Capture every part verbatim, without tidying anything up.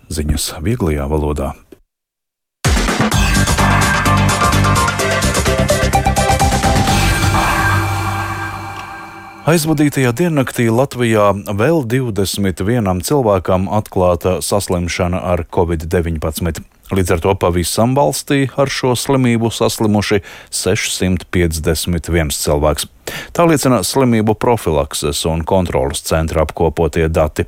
ziņas vieglajā valodā. Aizvadītajā diennaktī Latvijā vēl divdesmit vienam cilvēkam atklāta saslimšana ar covid deviņpadsmit. Līdz ar to pavisam valstī ar šo slimību saslimuši sešsimt piecdesmit viens cilvēks. Tā liecina slimību profilakses un kontrolas centra apkopotie dati.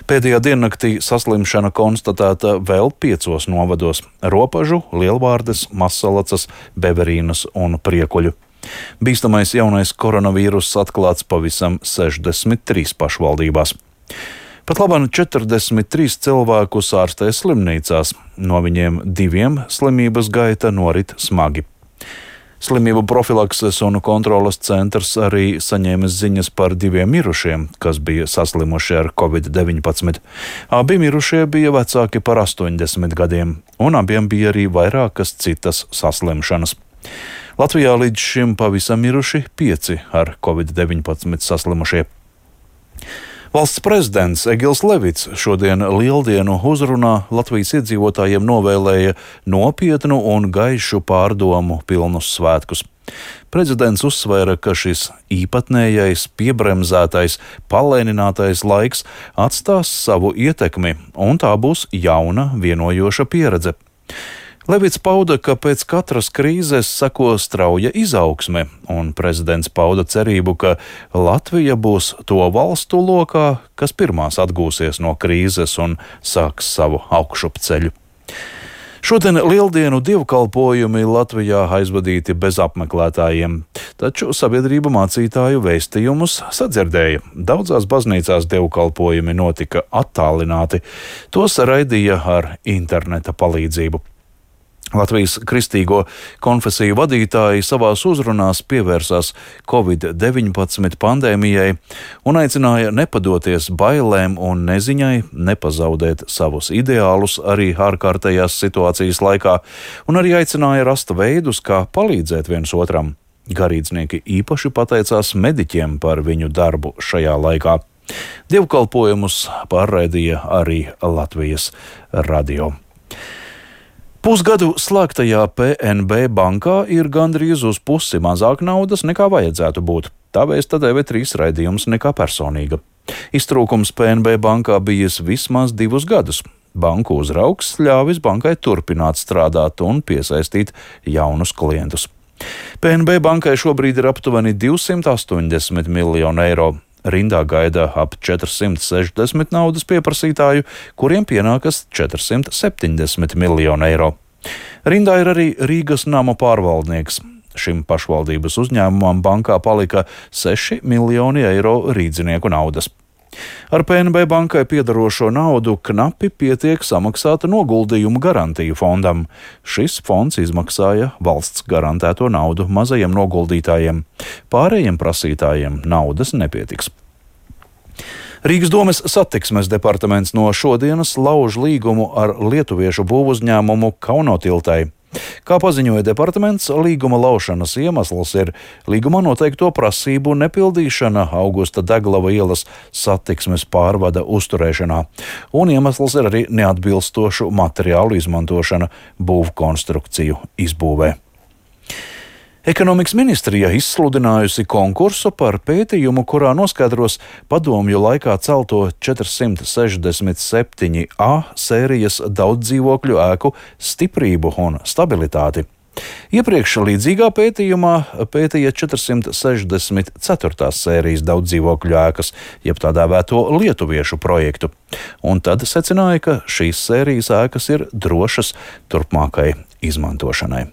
Pēdējā diennaktī saslimšana konstatēta vēl piecos novados - Ropažu, Lielvārdes, Mazsalacas, Beverīnas un Priekuļu. Bīstamais jaunais koronavīruss atklāts pavisam sešdesmit trīs pašvaldībās. Pat labāk četrdesmit trīs cilvēkus ārstē slimnīcās, no viņiem diviem slimības gaita norit smagi. Slimību profilakses un kontrolas centrs arī saņēma ziņas par diviem mirušiem, kas bija saslimuši ar covid deviņpadsmit. Abi mirušie bija vecāki par astoņdesmit gadiem, un abiem bija arī vairākas citas saslimšanas. Latvijā līdz šim pavisam miruši pieci ar covid deviņpadsmit saslimušie. Valsts prezidents Egils Levits šodien Lieldienu uzrunā Latvijas iedzīvotājiem novēlēja nopietnu un gaišu pārdomu pilnus svētkus. Prezidents uzsvēra, ka šis īpatnējais, piebremzētais, palēninātais laiks atstās savu ietekmi, un tā būs jauna, vienojoša pieredze. Levits pauda, ka pēc katras krīzes seko strauja izaugsme, un prezidents pauda cerību, ka Latvija būs to valstu lokā, kas pirmās atgūsies no krīzes un sāks savu augšupceļu. Šodien Lieldienu dievkalpojumi Latvijā aizvadīti bez apmeklētājiem, taču sabiedrība mācītāju vēstījumus sadzirdēja. Daudzās baznīcās dievkalpojumi notika attālināti, tos raidīja ar interneta palīdzību. Latvijas kristīgo konfesiju vadītāji savās uzrunās pievērsās covid deviņpadsmit pandēmijai un aicināja nepadoties bailēm un neziņai, nepazaudēt savus ideālus arī ārkārtējās situācijas laikā, un arī aicināja rast veidus, kā palīdzēt viens otram. Garīdznieki īpaši pateicās mediķiem par viņu darbu šajā laikā. Dievkalpojumus pārraidīja arī Latvijas radio. Pusgadu slēgtajā P N B bankā ir gandrīz uz pusi mazāk naudas nekā vajadzētu būt. Tā vēsta T V trīs raidījums Nekā personīga. Iztrūkums P N B bankā bijis vismaz divus gadus. Banku uzraugs ļāvis bankai turpināt strādāt un piesaistīt jaunus klientus. P N B bankai šobrīd ir aptuveni divsimt astoņdesmit miljoni eiro. Rindā gaida ap četrsimt sešdesmit naudas pieprasītāju, kuriem pienākas četrsimt septiņdesmit miljoni eiro. Rindā ir arī Rīgas nama pārvaldnieks. Šim pašvaldības uzņēmumam bankā palika seši miljoni eiro rīdzinieku naudas. Ar P N B bankai piedarošo naudu knapi pietiek samaksāt noguldījumu garantiju fondam. Šis fonds izmaksāja valsts garantēto naudu mazajiem noguldītājiem. Pārējiem prasītājiem naudas nepietiks. Rīgas domes satiksmes departaments no šodienas lauž līgumu ar lietuviešu būvuzņēmumu Kaunotiltai. Kā paziņoja departaments, līguma laušanas iemesls ir līgumā noteikto prasību nepildīšana Augusta Deglava ielas satiksmes pārvada uzturēšanā, un iemesls ir arī neatbilstošu materiālu izmantošana būvkonstrukciju izbūvē. Ekonomikas ministrija izsludinājusi konkursu par pētījumu, kurā noskaidros padomju laikā celto četrsimt sešdesmit septiņi A sērijas daudzdzīvokļu ēku stiprību un stabilitāti. Iepriekš līdzīgā pētījumā pētīja četrsimt sešdesmit ceturtās sērijas daudzdzīvokļu ēkas, jeb tā dēvēto lietuviešu projektu, un tad secināja, ka šīs sērijas ēkas ir drošas turpmākai izmantošanai.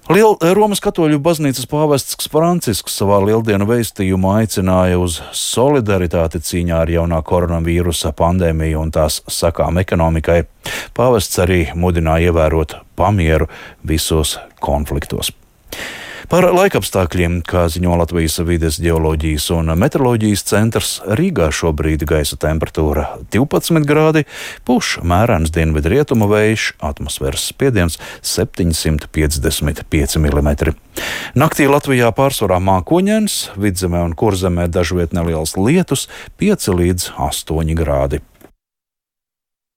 Liel, Romas katoļu baznīcas pāvests Francisks savā lieldienu vēstījumā aicināja uz solidaritāti cīņā ar jaunā koronavīrusa pandēmiju un tās sakām ekonomikai. Pāvests arī mudināja ievērot pamieru visos konfliktos. Par laikapstākļiem, kā ziņo Latvijas vides ģeoloģijas un meteoroloģijas centrs, Rīgā šobrīd gaisa temperatūra divpadsmit grādi, pūš mērens dienvidrietumu vējš, atmosfēras spiediens septiņsimt piecdesmit pieci milimetri. Naktī Latvijā pārsvarā mākoņdienas, Vidzemē un Kurzemē dažviet neliels lietus, pieci līdz astoņi grādi.